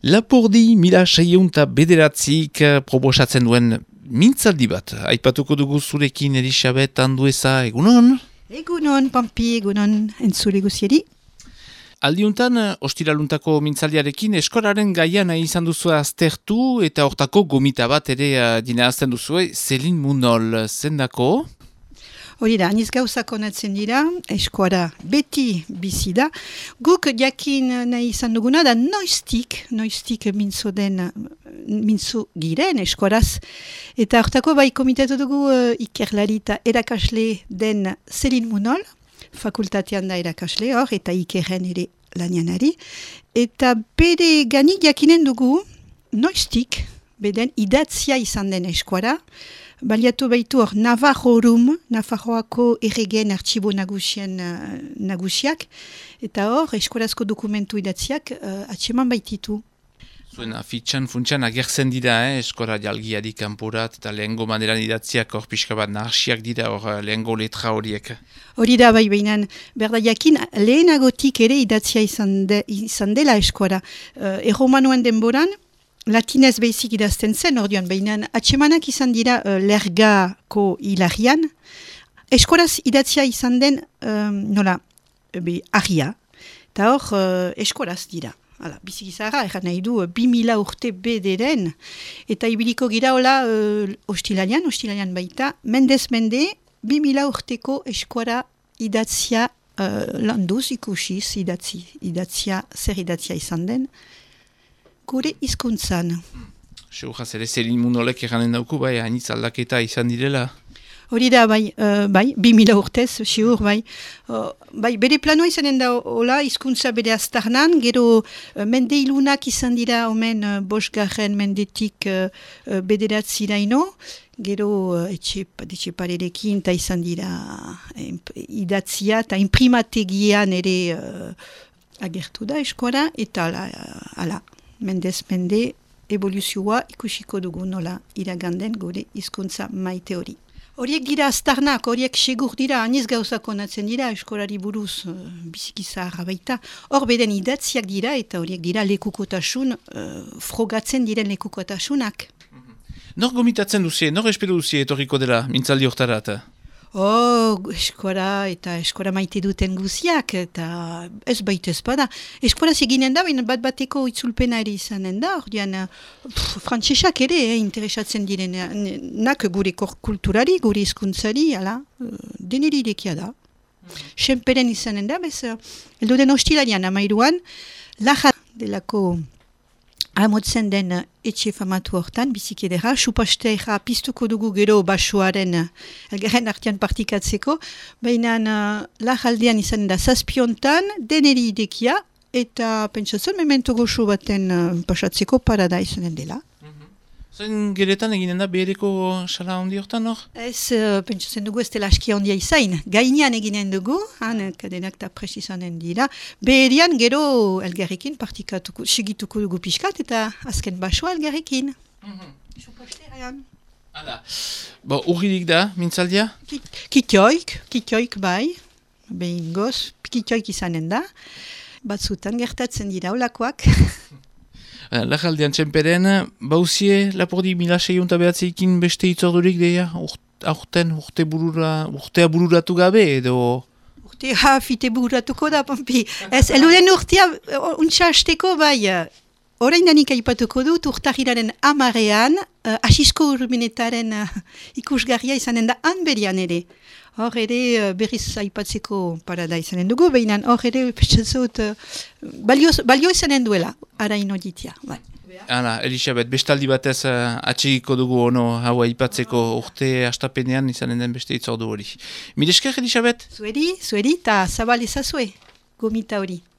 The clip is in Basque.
Lapurdi 1609 proposatzen duen mintzaldi bat. Aipatuko dugu zurekin Elisabet Andueza, egunon? Egunon, Pampi, egunon, entzule guzieri. Aldiuntan, ostiraluntako mintzaldiarekin eskolaren gaian izan duzu aztertu eta hortako gomita bat ere dinazten duzue, Zelin Munol, zendako? Hori da, aniz gauzak onatzen dira, eskoara beti bizi da. Guk jakin nahi izan duguna da noiztik mintzo giren eskoaraz. Eta hortako bai komitatu dugu ikerlari eta erakasle den Zelin Munol, fakultatean da erakasle hor, eta ikerren ere lanianari. Eta bere gani jakinen dugu noiztik, beden idatzia izan den eskoara, baliatu baitu hor Nafarroako erregen artxibo nagusiak, eta hor eskorazko dokumentu idatziak atseman baititu. Zuen afitxan funtsan agertzen dira, eskora jalgiari kanporat eta lehengo maneran idatziak hor pixka bat nahasiak dira hor lehengo letra horiek. Hori da bai behinan, berda jakin lehenagotik ere idatzia izan dela eskora. Erromanoen denboran, latinez behizik idazten zen, ordean, behinan atsemanak izan dira lergako hilarian, eskoraz idatzia izan den, argia, eta hor eskoraz dira. Hala, bizikizara, erran nahi du, 2000 urte bederen, eta ibiliko gira hola ostilanian baita, mendez mende, 2000 urteko eskuara idatzia landuz ikusiz, zer idatzia izan den, gure hizkuntzan. Seuraz ere Zelin Munolek erranen dauku, bai, hainitz aldaketa izan direla. Hori da, bai, 2000 urtez, siur, bai. Bere planoa izanen da, hola, hizkuntza bere aztarnan, gero mende ilunak izan dira, omen, bosgarren mendetik bederatzi daino, gero etxeparerekin, eta izan dira idatzia, eta imprimategian ere agertu da eskuara, eta ala, mendez mende, evoluzioa ikusiko dugu nola iraganden gure hizkuntza maite hori. Horiek dira aztarnak, horiek segur dira, aniz gauzak onatzen dira, eskolari buruz bizikizarra baita. Hor beden idatziak dira eta horiek dira lekukotasun, frogatzen diren lekukotasunak. Nor gomitatzen duzie, nor espero duzie etorriko dela mintzaldi hortarat? Eskora eta eskora maite duten guziak, eta ez baita ez bada. Eskora zeginen da, bat-bateko itzulpena ere izanen da, ordean frantsesak ere interesatzen direnak gure kulturari, gure hizkuntzari, deneri irekia da. Senperen izanen da, eldo den ostilarian amairuan, lajar delako amotzen den etxe famatu hortan, biziki edera, supasteira piztuko dugu gero basoaren elgarren artean partikatzeko, baina lajaldean izanen da zazpiontan, deneri idekia, eta pentsatzen memento goxo baten pasatzeko parada izanen dela. Zain geretan eginen da behereko sala handi hortan hor? Ez, pentsatzen dugu ez dela aski handia izain. Gainean eginen dugu, kadenak eta prest izanen dira. Beherian gero elgarrekin partikatuko, segituko dugu pixkat eta azken basoa elgarrekin. Suposterean. Hala. Urririk da, mintzaldia? Kitioik bai. Behin goz, kitioik izanen da. Batzutan gertatzen dira olakoak. Lajaldean txemperen, bauzie Lapurdi 1609 beste itzordurik deia, urtea bururatu gabe edo? Urtea fite bururatuko da, Pampi. Ez, eluden urtea untsa hasteko bai, orain danik aipatuko dut urtahiraren amarean, asisko urminetaren ikusgarria izanen da hanberian ere. Hor ere berriz aipatzeko parada izanen dugu, behinan hor ere petxatzot balio izanen duela, araino ditia. Hala, Elisabet, bestaldi batez atxegiko dugu ono hau aipatzeko urte hastapenean izanen den beste itzordu hori. Mil esker, Elisabet? Zueri, eta zabal ezazue, gomita hori.